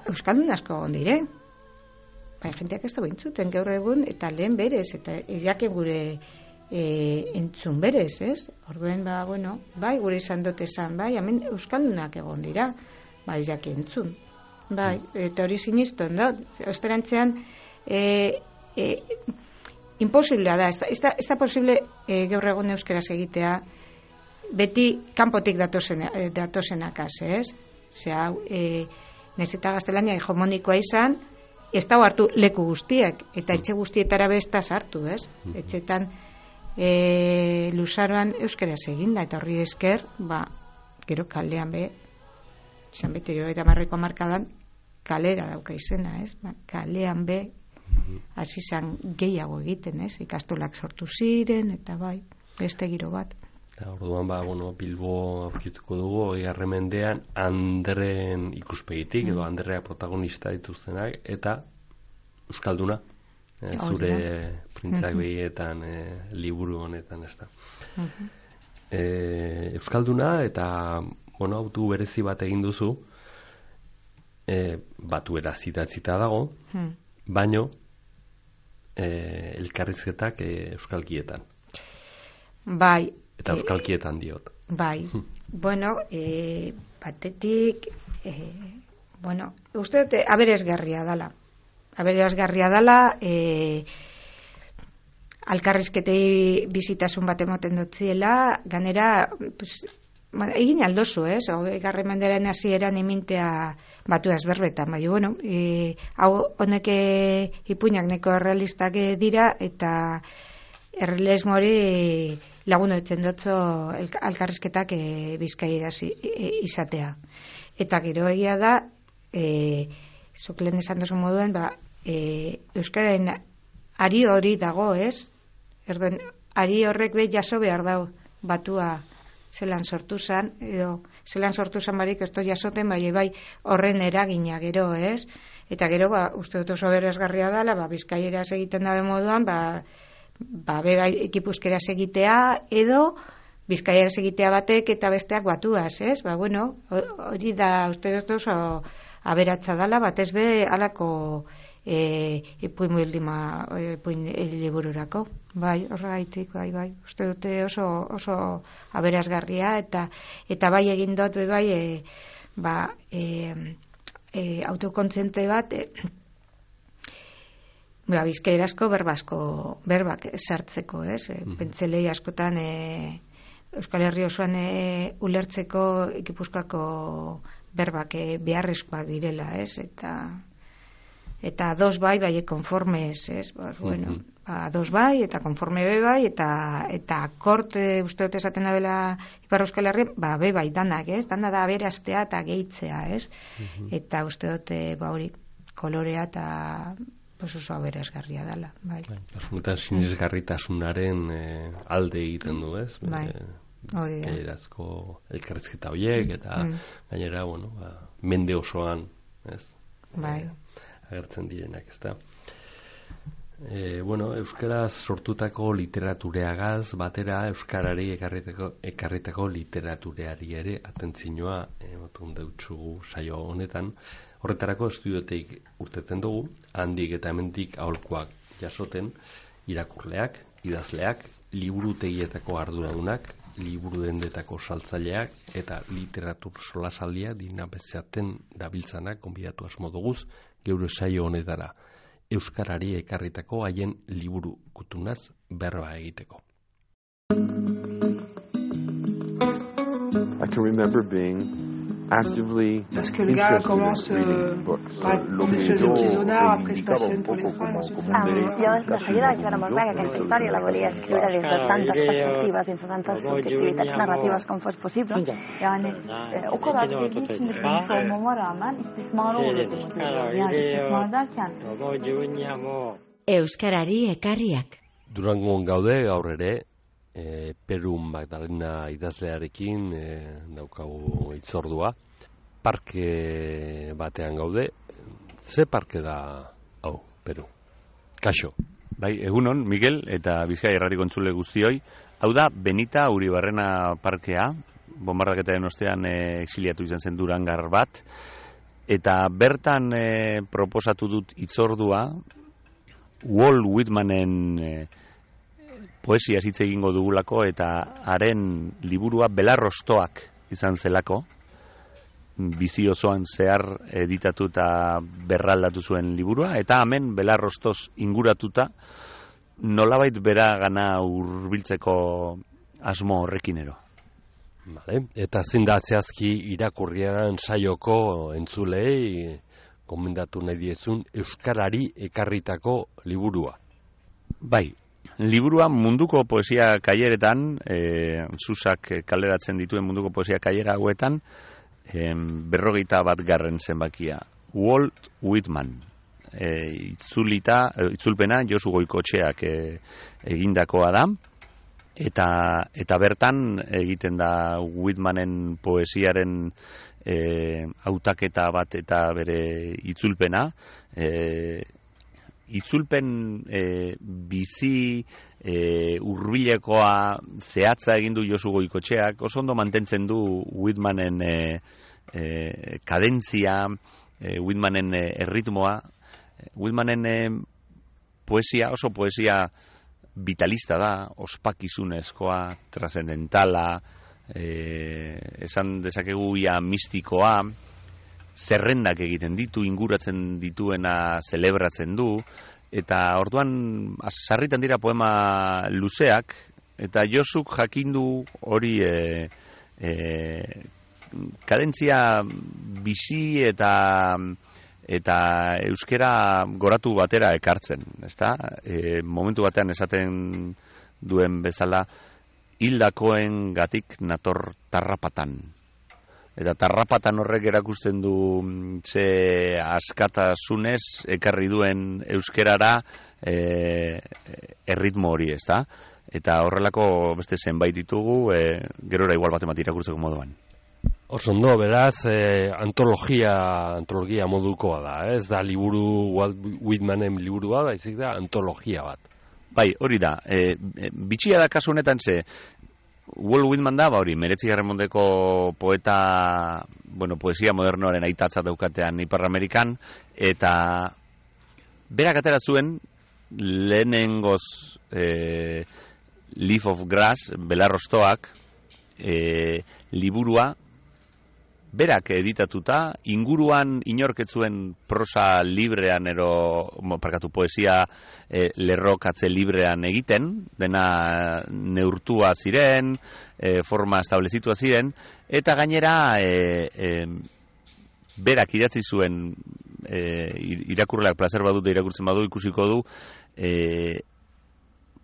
euskaldun asko ondire, jenteak ez da bintzuten gaur egun, eta lehen berez, eta ez jake gure entzun berez, ez? Orduen, bai, gure izan dut esan, bai, hemen euskaldunak egon dira, bai, ez jake entzun. Bai, eta hori sinistuen da, osterantzean, imposiblea da, ez da posible gaur egun euskeraz egitea, beti kanpotik datozenakaz, ez? Zea, nahiz eta gaztelania hegemonikoa izan, ez da hartu leku guztiek, eta etxe guztietara bestaz hartu, ez? Etxetan luzaroan euskeraz eginda, eta horri esker, gero kalean izan beti 70ko hamarkadan, kalera dauka izena, ez? Kalean hasi zan gehiago egiten, ez? Ikastolak sortu ziren, eta bai, beste giro bat. Orduan, Bilbo aurkituko dugu, 20. mendean Andreen ikuspegitik, edo Andrea protagonista dituztenak, eta euskalduna, zure printzak behietan, liburu honetan, ez da. Euskalduna, eta, autu berezi bat egin duzu, batuera zitatzita dago, baino, elkarrizketak euskalkietan. Bai. Eta euskalkietan diot. Bai. Batetik, uste dute aberesgarria dala. Alkarrizketei bizitasun bat emoten dutziela, ganera, egin aldozu, ez? 20. mendearen hasieran imintea batu ezberbetan, hau honek ipuinak neko errealistak dira, eta errealismo hori lagun etzen dutzo alkarrizketak Bizkaieraz izatea. Eta gero egia da, zuk lehen esan duzu moduen, euskararen ari hori dago, ez? Ari horrek jaso behar dago batua zelan sortu zan, edo zelan sortu zan barik ez jasoten, bai horren eragina gero, ez? Eta gero, uste dut oso berazgarria dela, Bizkaieraz egiten dabe moduan, ekipuzkeraz egitea, edo Bizkaieraz egitea batek eta besteak batuaz, ez? Hori da, uste dut oso aberatza dela, batez be alako ipuin libururako. Horregaitik, uste dute oso aberazgarria, eta bai egin dut, autokontziente bat, bizkaierazko berbak sartzeko, ez? Pentselei askotan Euskal Herri osoan ulertzeko Gipuzkoako berbak beharrezkoak direla, ez? Eta dos bai konformes, ez? Dos bai, eta konforme bai, eta korte uste dut esaten da bela Ipar Euskal Herri, bai danak, ez? Dana da aberaztea eta gehitzea, ez? Eta uste dut, hori, kolorea eta pues oso aberasgarria dela, bai. Kasunetan sinesgarritasunaren alde egiten du, ez? Bai. Bizkaierazko elkarrizketa horiek, eta gainera, mende osoan, ez? Bai. Agertzen direnak, ez da? Euskaraz sortutako literatureagaz batera euskarari ekarritako literatureari ere atentzioa ematen deutsugu saio honetan. Horretarako estudioteik urtetzen dugu, handik eta hemendik aholkuak jasoten, irakurleak, idazleak, liburutegietako arduradunak, liburu dendetako saltzaileak eta literatur solasaldia dinabezaten dabiltzanak gonbidatu asmo duguz geure saio honetara. Euskarari ekarritako haien liburu kutunaz berba egiteko. I can remember being actively parce que le gars commence par une espèce de petit sonar, après se passionne pour les femmes, ensuite ça... Jo de seguida vaig veure molt clar que aquesta història la volia escriure des de tantes perspectives, des de tantes subjectivitats narratives com fos possible. Yani o kadar sevdiği için de bilmiş olmama rağmen istismara uğradığımı görüyorum. Yani istismar derken... Euskarari ekarriak. Durangon gaude gaur ere, Peru Magdalena idazlearekin daukagu hitzordua. Parke batean gaude. Ze parke da hau, Peru? Kaixo. Bai, egunon, Miguel eta Bizkaia Irratiko entzule guztioi. Hau da Benita Uribarrena parkea, bonbardaketaren ostean exiliatu izan zen Durangar bat, eta bertan proposatu dut hitzordua Walt Whitmanen poesia hitz egingo dugulako, eta haren liburua Belarrostoak izan zelako, bizi osoan zehar editatu eta berraldatu zuen liburua, eta hemen Belarrostoz inguratuta nolabait bera gana hurbiltzeko asmo horrekinero. Vale. Eta zein da zehazki irakurriaren saioko entzulei gomendatu nahi diezun euskarari ekarritako liburua? Bai, liburua munduko poesia kaileretan, Susak kaleratzen dituen munduko poesia kailera hauetan, 41. zenbakia. Walt Whitman. Itzulpena Josu Goikotxeak egindakoa da, eta bertan egiten da Whitmanen poesiaren hautaketa bat eta bere itzulpena. Itzulpen bizi hurbilekoa zehatza egin du Josu Goikotxeak, oso ondo mantentzen du Whitmanen kadentzia, Whitmanen erritmoa. Whitmanen poesia, oso poesia vitalista da, ospakizunezkoa, trascendentala, esan dezakegu ia mistikoa, zerrendak egiten ditu, inguratzen dituena zelebratzen du, eta orduan sarritan dira poema luzeak, eta Josuk jakindu hori kadentzia bizi eta euskera goratu batera ekartzen, ezta? Momentu batean esaten duen bezala, hildakoen gatik nator tarrapatan. Eta tarrapatan horrek erakusten du ze askatasunez ekarri duen euskerara erritmo hori, ezta? Eta horrelako beste zenbait ditugu, gerora igual bat irakurtzeko moduan. Oso ondo, beraz, antologia modukoa da, ez da liburu, Walt Whitmanen liburua da, izik da antologia bat. Bai, hori da, bitxia da kasu honetan ze, Walt Whitman da, hori, 19. mendeko poeta, poesia modernoaren aitatza daukatean Ipar Amerikan, eta berak atera zuen lehenengoz Leaf of Grass, Belarrostoak, liburua, berak editatuta, inguruan inorketzuen prosa librean poesia lerrokatze librean egiten, dena neurtua ziren, forma establezitua ziren, eta gainera berak idatzi zuen, irakurleak plazer badut irakurtzen badu ikusiko du,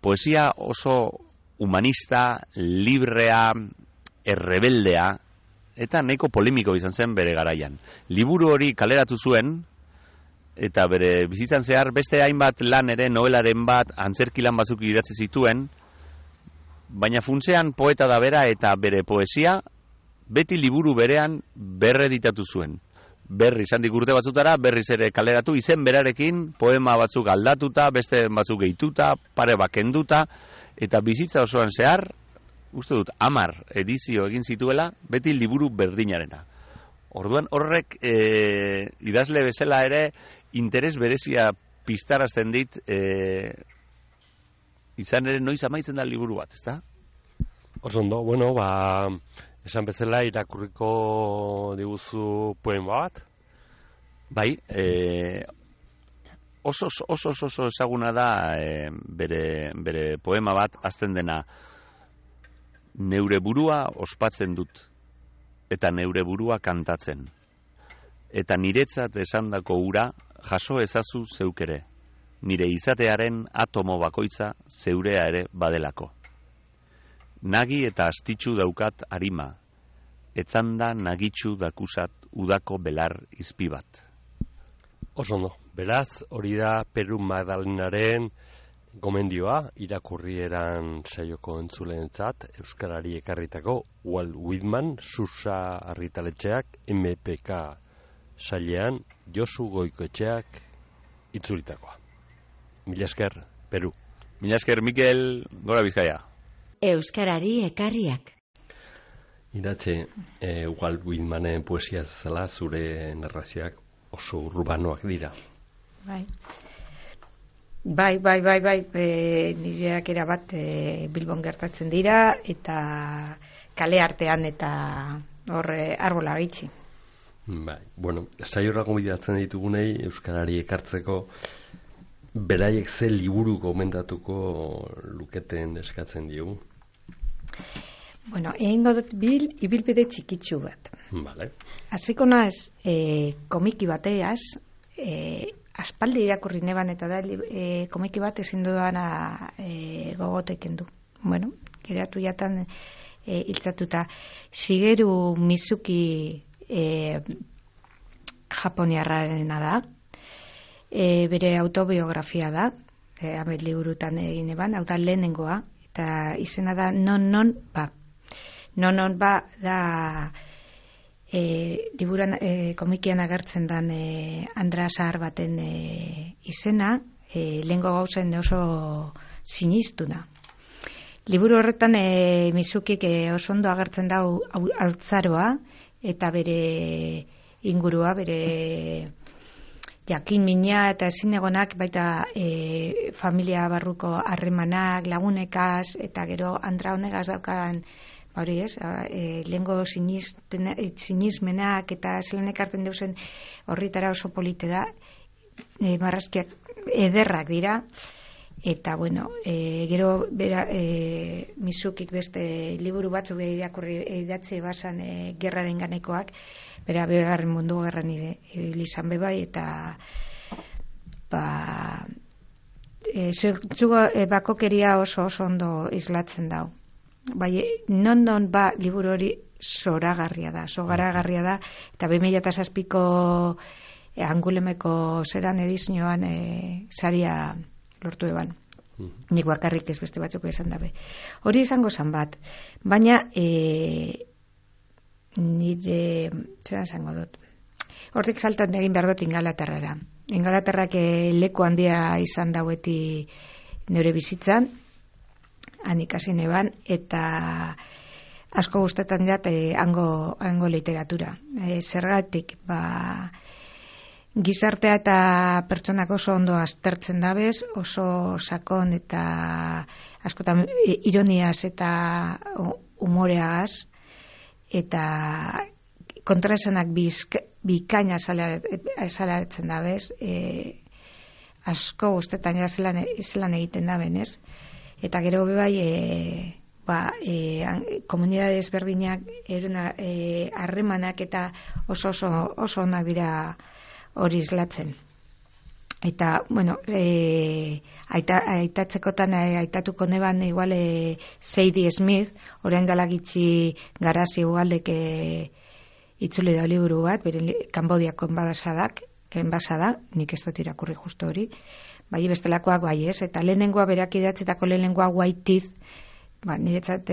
poesia oso humanista, librea, errebeldea, eta nahiko polemiko izan zen bere garaian. Liburu hori kaleratu zuen, eta bere bizitzan zehar beste hainbat lan ere, novelaren bat, antzerki lan batzuk idatzi zituen, baina funtsean poeta da bera eta bere poesia beti liburu berean berreditatu zuen. Berriz, handik urte batzutara, berriz ere kaleratu, izen berarekin, poema batzuk aldatuta, beste batzuk gehituta, pare bakenduta, eta bizitza osoan zehar, uste dut, 10 edizio egin zituela, beti liburu berdinarena. Orduan horrek idazle bezala ere interes berezia piztarazten dit, izan ere noiz amaitzen da liburu bat, ezta? Oso ondo, bueno, esan bezala irakurriko diguzu poema bat? Bai, oso ezaguna da bere poema bat, azten dena, neure burua ospatzen dut, eta neure burua kantatzen. Eta niretzat esandako ura jaso ezazu zeukere, nire izatearen atomo bakoitza zeurea ere badelako. Nagi eta astitsu daukat arima, etzanda nagitsu dakusat udako belar izpi bat. Oso ondo, beraz, hori da Peru Magdalenaren gomendioa, irakurrieran saioko entzuleentzat, euskarari ekarritako Walt Whitman, Susa argitaletxeak, MPK sailean, Josu Goikoetxeak itzulitakoa. Mila esker, Peru. Mila esker, Mikel, gora Bizkaia. Euskarari ekarriak. Iratxe, Walt Whitmanen poesia zela zure narrazioak oso urbanoak dira. Bai, nireak erabat Bilbon gertatzen dira, eta kale artean eta horre arbola gaitxi. Bai, bueno, saiorako bidatzen ditugunei euskarari ekartzeko beraiek ze liburu gomendatuko luketen eskatzen diogu. Bueno, egingo dut ibilbide txikitsu bat. Vale. Hasiko naiz komiki bateaz, aspaldi irakurri neban eta da komiki bat ezin dudana gogoteken du. Bueno, geratu jatan hiltzatuta. Shigeru Mizuki japoniarrarena da. Bere autobiografia da, hamet liburutan egin eban, hau da lehenengoa, eta izena da Non Ba. Non Ba da liburan komikian agertzen dan Andra Zahar baten izena, lehengo gauzen oso sinistuna. Liburu horretan Mizukik oso ondo agertzen da haurtzaroa, eta bere ingurua, bere jakin mina eta ezin egonak, baita familia barruko harremanak, lagunekaz, eta gero Andra honegaz daukan, hori ez, lehengo sinismenak eta zelan ekartzen deusen horritara oso polite da, marrazkiak ederrak dira, eta bueno, gero Mizukik beste liburu batzuk idatzi basan gerraren ganekoak, bera Bigarren Mundu Gerran izan bebai, eta bakokeria oso ondo islatzen dau. Bai, non ba liburu hori zoragarria da, eta 2007ko Angulemeko zeran edizioan saria lortu eban. Nik bakarrik ez, beste batzuk esan dabe. Hori izango zan bat, baina nire zera esango dut. Hortik saltan egin behar dut Ingalaterrara. Ingalaterrak leku handia izan daueti nire bizitzan, han ikasi neban, eta asko gustetan jat hango literatura. Zergatik, gizartea eta pertsonak oso ondo aztertzen dabez, oso sakon eta askotan ironiaz eta humoreagaz, eta kontraesanak bikaina azalaretzen dabez, asko gustetan ja zelan egiten daben, ez? Eta gero bebai komunidade ezberdinak harremanak eta oso onak dira hori islatzen. Eta, bueno, aitatzekotan aitatuko neban igual Sadie Smith, orain dela gitxi Garazi ugaldek itzuli da liburu bat, bere Kanbodiako enbadasadak, enbasa da, nik ez dut irakurri justo hori, bai bestelakoak bai ez, eta lehenengoa berak idatzetako lehenengoa White Teeth, niretzat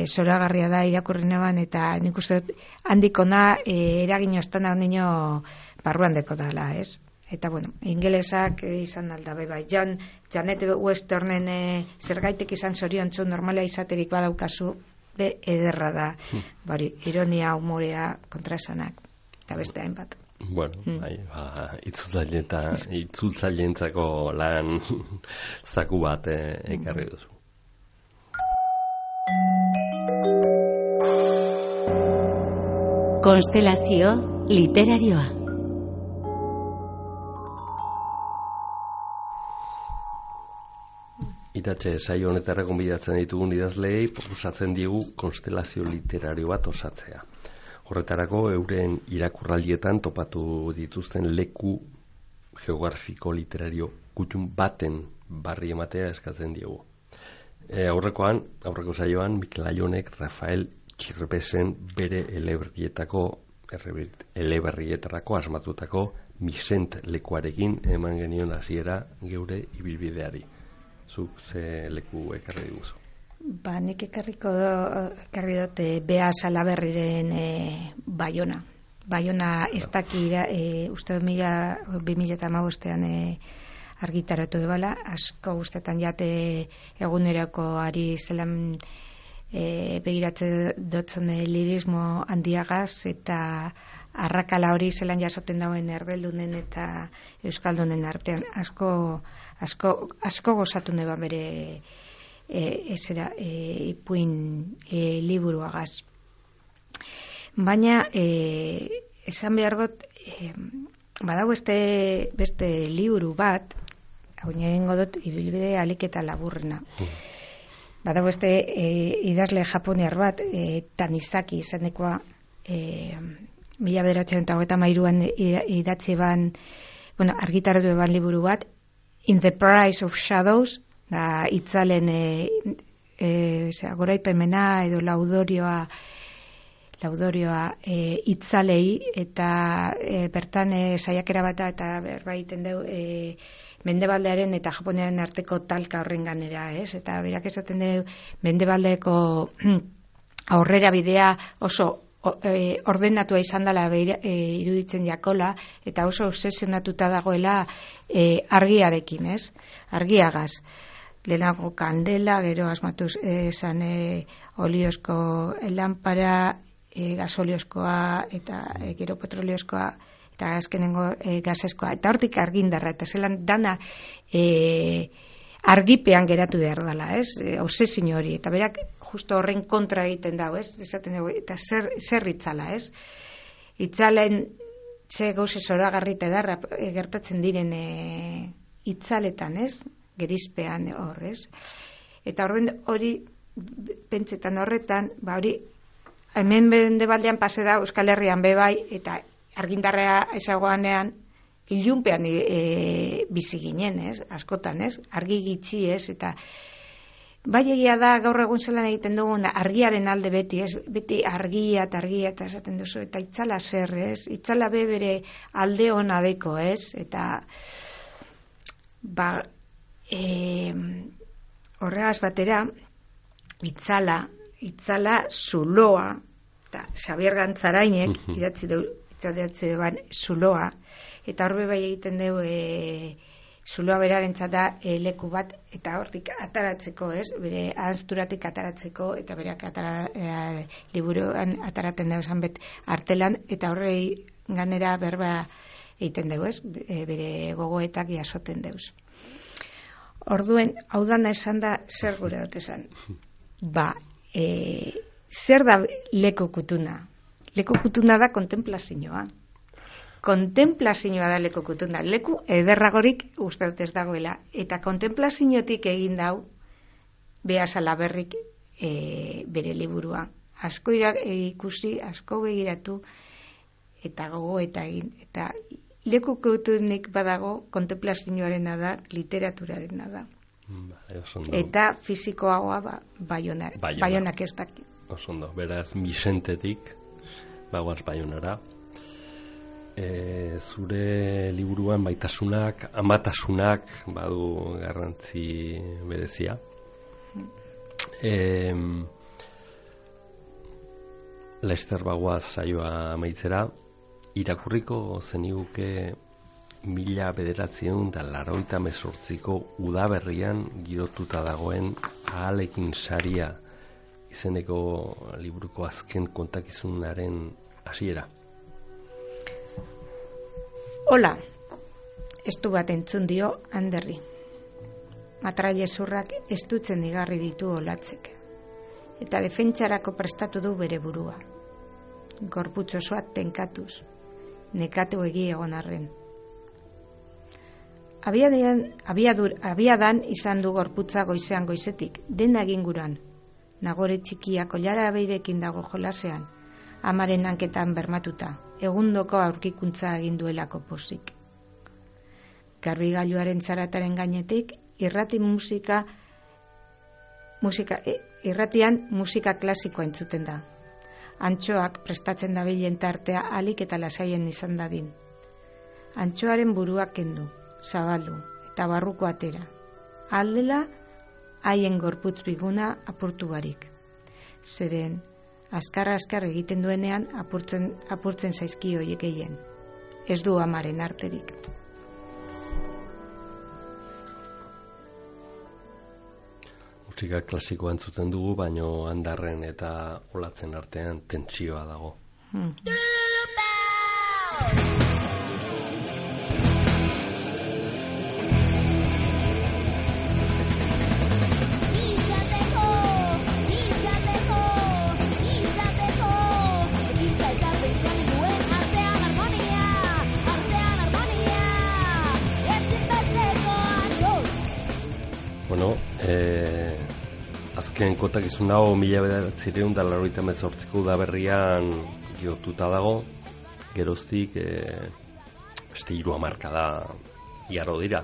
zoragarria da irakurri neban, eta nik uste dut handikona eragin ostan hau nino barruan deko dala, ez? Eta bueno, ingelesak izan alda bai, Janet Westernen zergaitik izan zoriontzu normala izaterik badaukazu, be ederra da, bari, ironia, humorea, kontraesanak, eta beste hainbat. Bueno, itzultzaileentzako lan zaku bat ekarri duzu. Konstelazio literarioa. Iratxe, saio honetara gonbidatzen ditugun idazleei proposatzen digu konstelazio literario bat osatzea. Horretarako euren irakurraldietan topatu dituzten leku geografiko literario gutxun baten barri ematea eskatzen diegu. Aurreko saioan, Mikel Aionek Rafael Txirbesen bere eleberrietarako asmatutako Misent lekuarekin eman genion hasiera geure ibilbideari. Zuk ze leku ekarri diguzu? Nik ekarri dut Bea Salaberriren Baiona. Baiona ez daki uste 2015ean argitaratu ebala, asko guztetan jate egunerako ari zelan begiratze dotzun lirismo handiagaz eta arrakala hori zelan jasoten dauen erbeldunen eta euskaldunen artean asko gozatu neba bere ipuin liburuagaz. Baina esan behar dut badago beste liburu bat, hau egingo dut ibilbide alik eta laburrena. Badago idazle japoniar bat, Tanizaki izanekoa, 1933an idatzi ban, argitaratu ban liburu bat, In the Price of Shadows, da itzalen goraipemena edo laudorioa itzalei, eta bertan saiakera bat eta berbaiten deu Mendebaldearen eta Japoniaren arteko talka horren ganera, ez? Eta berak esaten du Mendebaldeko aurrera bidea oso ordenatua izan dela iruditzen jakola, eta oso obsesionatuta dagoela argiarekin, ez? Argiagaz. Lehenago kandela, gero asmatuz esan oliozko lanpara, gasoliozkoa eta gero petroliozkoa, eta azkenengo gazeskoa, eta hortik argindarra, eta zelan dana argipean geratu behar dela, ez? Obsesio hori, eta berak justo horren kontra egiten dago, ez? Esaten dugu, eta zer itzala, ez? Itzalen ze gauze zoragarrita edarra gertatzen diren itzaletan, ez? Gerizpean horrez. Eta hori pentsetan horretan, hori hemen Mendebaldean pase da Euskal Herrian bebai, eta argindarrea ezagoanean ilunpean bizi ginen, ez? Askotan, ez? Argi gitxi, ez? Eta bai egia da gaur egun zelan egiten dugun argiaren alde beti, ez? Beti argia eta esaten duzu, eta itzala zer, ez? Itzala bere alde hona deko, ez? Eta horregaz batera itzala zuloa, eta Xabier Gantzarainek idatzi ban zuloa, eta horbe bai egiten dugu zuloa berarentzat da leku bat, eta hortik ataratzeko, ez? Bere ahanzturatik ataratzeko, eta berak liburuan ataraten dugu zanbet artelan, eta horrei ganera berba egiten dugu, ez? Bere gogoetak jasoten dugu. Orduen, hau dana esan da, zer gure dut esan? Zer da leku kutuna? Leku kutuna da kontemplazioa. Kontemplazioa da leku kutuna. Leku ederragorik uste dut ez dagoela. Eta kontemplaziotik egin dau Bea Salaberrik bere liburua. Asko ikusi, asko begiratu, eta gogo eta egin. Eta leku kutunik badago kontemplazioarena da, literaturarena da. Eta fizikoagoa Baionak ez daki. Osondo, beraz Misentetik bagoaz Baionara. zure liburuan baitasunak, amatasunak badu garrantzi berezia. Laster bagoaz saioa amaitzera, irakurriko zeniguke 1988ko udaberrian girotuta dagoen Ahalekin saria izeneko liburuko azken kontakizunaren hasiera. Hola, estu bat entzun dio Anderri. Matrailezurrak estutzen igarri ditu olatzek. Eta defentsarako prestatu du bere burua. Gorputz osoa tenkatuz, nekatu egi egon arren. Abiadan izan du gorputza goizean goizetik, dena eginguran. Nagore txikia koilara beirekin dago jolasean, amaren hanketan bermatuta, egundoko aurkikuntza egin duelako pozik. Garbigailuaren zarataren gainetik, irratian musika klasikoa entzuten da. Antxoak prestatzen dabilen tartea alik eta lasaien izan dadin. Antxoaren buruak kendu, zabaldu eta barruko atera. Aldela, haien gorputz biguna apurtu barik. Zeren, azkar egiten duenean apurtzen zaizki horiek gehien. Ez du amaren arterik. Musika klasikoa entzuten dugu, baino Andarren eta Olatzen artean tentsioa dago. Bueno, azken kontakizun hau 1988ko udaberrian girotuta dago, geroztik beste 3 hamarkada igaro dira.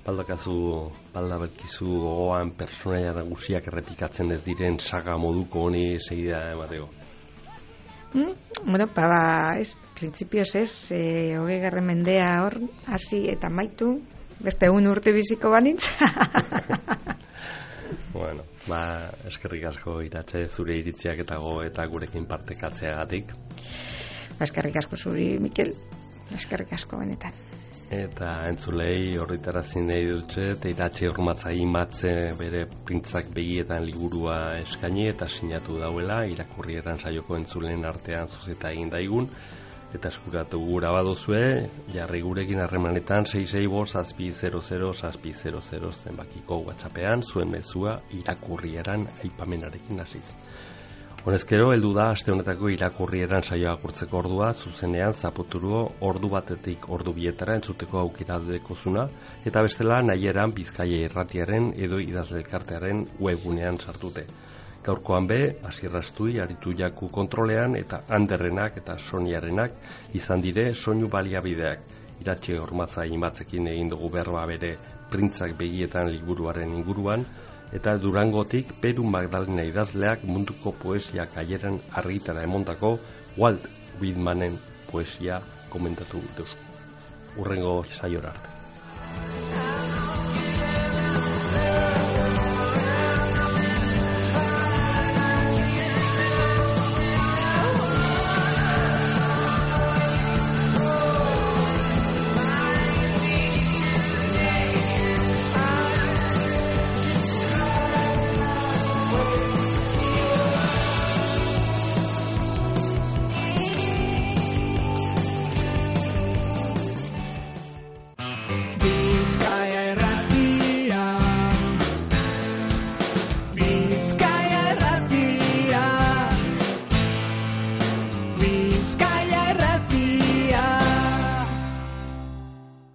Baldakizu gogoan pertsonaia nagusiak errepikatzen ez diren saga moduko honi segida emateko. Bueno, printzipioz ez, 20. mendea hor, hasi eta maitu, beste 1 urte biziko banitz. Bueno, eskerrik asko Iratxe zure iritziak eta gogoetak gurekin partekatzeagatik. Eskerrik asko zuri, Mikel. Eskerrik asko benetan. Eta entzulei horretarazi nahi dutxe, eta Iratxe Urmatzai Matze bere Printzak begietan liburua eskaini eta sinatu dauela, irakurrietan saioko entzulen artean zuzeta egin daigun. Eta eskuratu gura baduzue, jarri gurekin harremanetan 665-700-700 zenbakiko WhatsAppean, zuen mezua irakurrieran aipamenarekin hasiz. Honezkero, heldu da aste honetako irakurrieran saioa agurtzeko ordua, zuzenean zaputuru ordu batetik ordu bietara entzuteko aukera dekozuna, eta bestela nahieran Bizkaia Irratiaren edo Idazle Elkartearen webgunean sartute. Gaurkoan Asier Astui aritu jaku kontrolean eta Anderrenak eta Soniarenak izan dire soinu baliabideak. Iratxe Urmatzai Matzekin egin dugu berba bere Printzak begietan liburuaren inguruan, eta Durangotik Peru Magdalena idazleak munduko poesia kaieran argitara emondako Walt Whitmanen poesia komentatu duzku. Hurrengo saiora arte.